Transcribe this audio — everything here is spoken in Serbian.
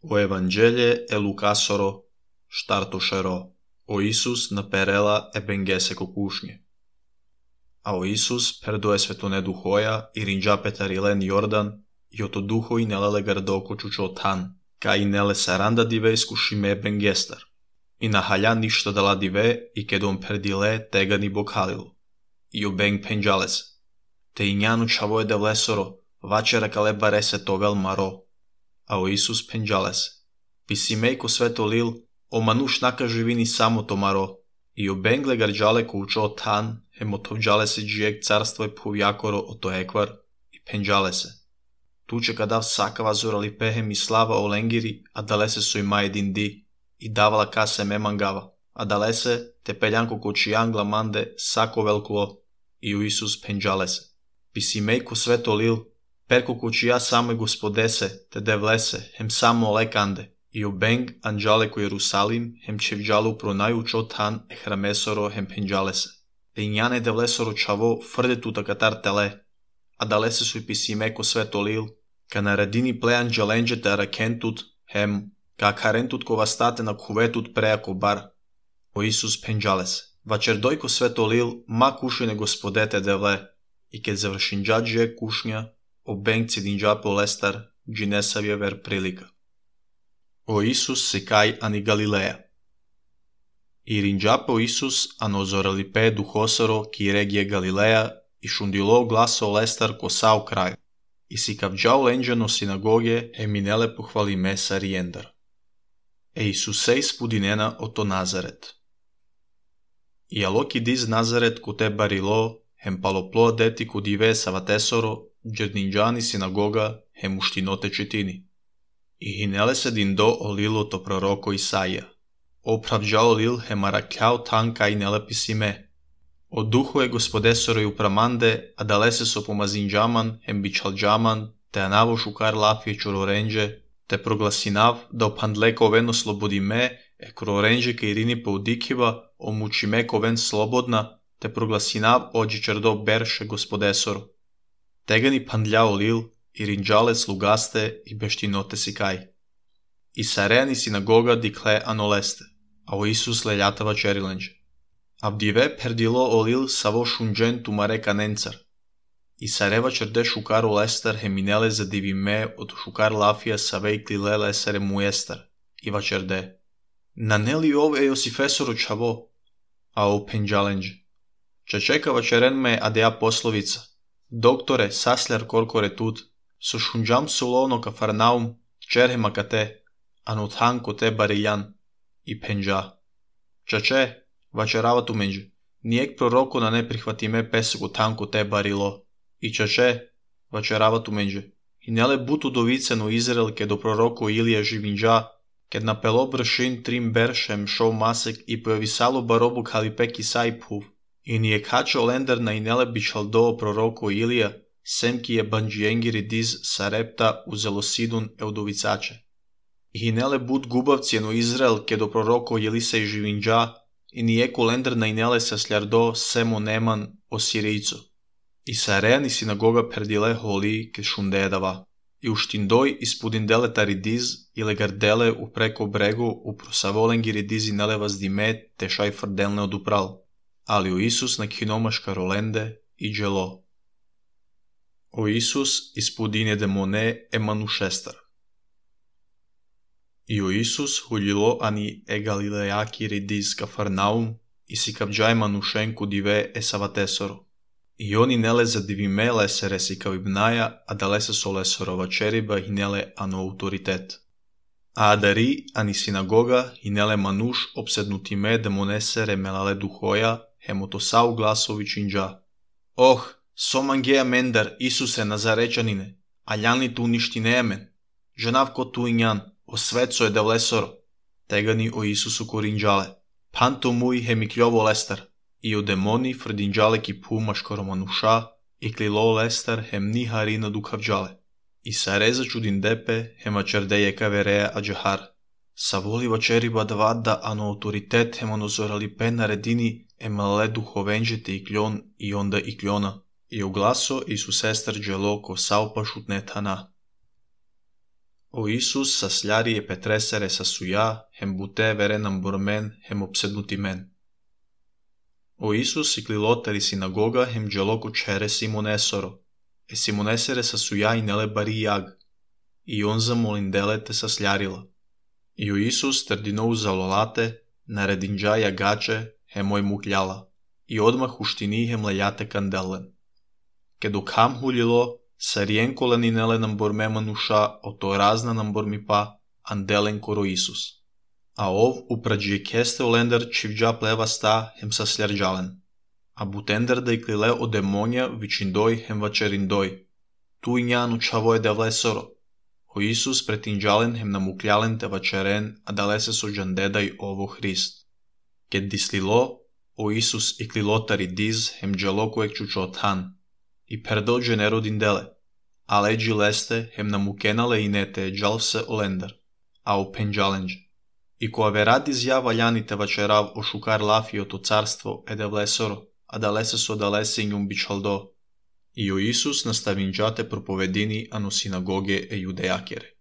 O Evanghelie e Lucasoro, startošero, o Isus naperela e bengese co kušnje. A o Isus perdoe svetone duhoja i rinđa petarilen Jordan i oto duhoi nelele gardoko čučo tan, ca i nele saranda dive iskušime bengestar. I nahalja ništa dala dive i kedon perdile tegani bokhalilu. I o beng penđales. Te i njanu čavoje de vlesoro, vačera kale barese tovel maro. A o Isus penđales. Pisimej ko sveto lil, o manuš naka živini samo to maro. I o bengle garđale ko učo tan, hemotovđale se džijek carstvo je povjakoro o to ekvar i penđale se. Tuče kadav sakava zorali pehem i slava o lengiri, a dalese su i majedin di, i davala kase memangava, a dalese te peljanko koči angla mande sako velklo, i u Isus penđale se. Pisimej ko sveto lil, perko koči ja same gospodese, te devlese, hem samo lekande, i u beng anđale ko Jerusalim, hem čevđalu pronaju čotan e hramesoro hem penđale se. Te injane devlesoro čavo frde tuta katar tele, a dalese su i pisimej ko sveto lil, ka naredini plejan džalenđe te arakentut, hem, ka karentut ko vastate na kuvetut prejako bar. O Isus penđale se. Vačer dojko sveto lil, ma kušine gospodete devle, i kad završin džađe kušnja, o beng cidinđa po lestar, džinesavje ver prilika. O Isus se kaj ani Galileja. I rinđa po Isus anozorali pe duhosoro ki regije Galileja i šundilo glaso lestar ko sao kraj. I si kavđao lenđano sinagoge eminele pohvali mesa rijendar. E Isusej spudinena oto Nazaret. I aloki diz Nazaret ko te barilo, hem paloplo deti ko dive savatesoro, džerdinđani sinagoga, hem uštinote četini. I hinele se din do olilo to proroko Isaija. Opravđao lil hem arakljao tanka i nelepisi O duhu je gospodesoro i upramande, a dalese so pomazinđaman, hem bičalđaman, te anavo šukar lafije čurorenđe, te proglasinav da opandleko veno slobodi e krorenđe ke irini poudikiva, omuči ko ven slobodna, te proglasinav ođi čerdo berše gospodesoro. Tegani pandljao lil, i rinđale slugaste i beštinote si kaj. I sareni sinagoga dikle anoleste, a o Isus leljatava čerilenđe. Avdive perdilo olil savo šunđen tumareka nencar. I sareva čerde šukaru lestar heminele za divime od šukar lafija savej klile lesare mujestar. I vačerde. Naneli ove Josifesoro čavo, a o penđalenđe. Čečeka vačeren me adea poslovica. Doktore, sasljar korkore tut, so šunđam sulovno kafarnaum, čerhema kate, anuthanko te bariljan, i penđa. Čače, vačerava tu menđe, nijek proroko na ne prihvatime pesegu tanko te barilo, i čače, vačerava tu menđe, i nele butu dovicenu Izrael ke do proroko Ilija živinđa, kad na pelo bršin trim beršem šov masek i pojavisalo barobu halipek i sajpuv, i nijek hačo lender na inele bičal do proroko Ilija, sem ki je banđijengiri diz sarepta uzelo sidun eudovicače. I hinele bud gubavcijenu Izrael ke do proroko Jelisej živinđa, i nijeku lender na inele sa sljardo semo neman o Sirijcu. I sareni sinagoga perdile holi ke šundedava. I uštindoj ispudin deletari diz i legardele u preko bregu u prosavolengiri diz i nelevaz dime te šaj frdelne odupral. Ali u Isus na kinomaška rolende i dželo. O Isus ispudine demone emanušestar. I o Isus huljilo ani e Galilejaki ridiz kafarnaum i si kavđaj manušenku dive e savatesoro. I oni nele za divime lesere si kavibnaja, a dalese so lesorova čeriba i nele ano autoritet. A adari ani sinagoga i nele manuš obsednutime demonesere melale duhoja, hemotosau glasović inđa. Oh, somangeja mendar, Isuse Nazarečanine, a ljanli tu ništi nemen. Ženav ko tu injan, o sveco je devlesoro. Tegani o Isusu korinđale. Panto muj hemikljovo lestar. I o demoni frdinđale ki pumaško manuša, i klilo lestar hem ni harina dukavđale. I sareza čudin depe hema čerdeje kavereja ađahar. Savoliva čeriba davada ano autoritet hemonozorali pe naredini emale duhovenđete i kljon i onda i kljona. I oglaso Isus sestar dželo ko saupa šutnetana. O Isus sasljari e petresere sa suia, hem bute veren ambormen, hem obsednutimen. O Isus iklilotari sinagoga hem geloku chere Simonesoro, e Simonesere sa suia inele bari iag, i on zamolindele te sasljarila. I o Isus terdinou zalolate, naredinđa jagače, hemoj mukljala, i odmah uštini hem lejate kandelen. Kedok ham huljilo, sarien koleninele namborme manuša, oto razna nambormi pa, andelen koro Isus. A ov uprađije keste olender čivđa pleva sta hem sasljarđalen. A butender da iklile o demonja vičindoj hem vačerindoj. Tu injanu čavoje devlesoro. O Isus pretinđalen hem namukljalen te vačeren, a dalese so džandedaj ovo Hrist. Ked dislilo, o Isus iklilotari diz hem džalokuek čučothan. I perdel genero dindele, a leđi leste hem namukenale inete džalvse olender, a o penđalenđe. I ko averad izja valjanite vačerav o šukar lafio to carstvo edevlesoro, a dalese so dalese injum bičaldo. I o Isus nastavinđate propovedini anu sinagoge e judejakere.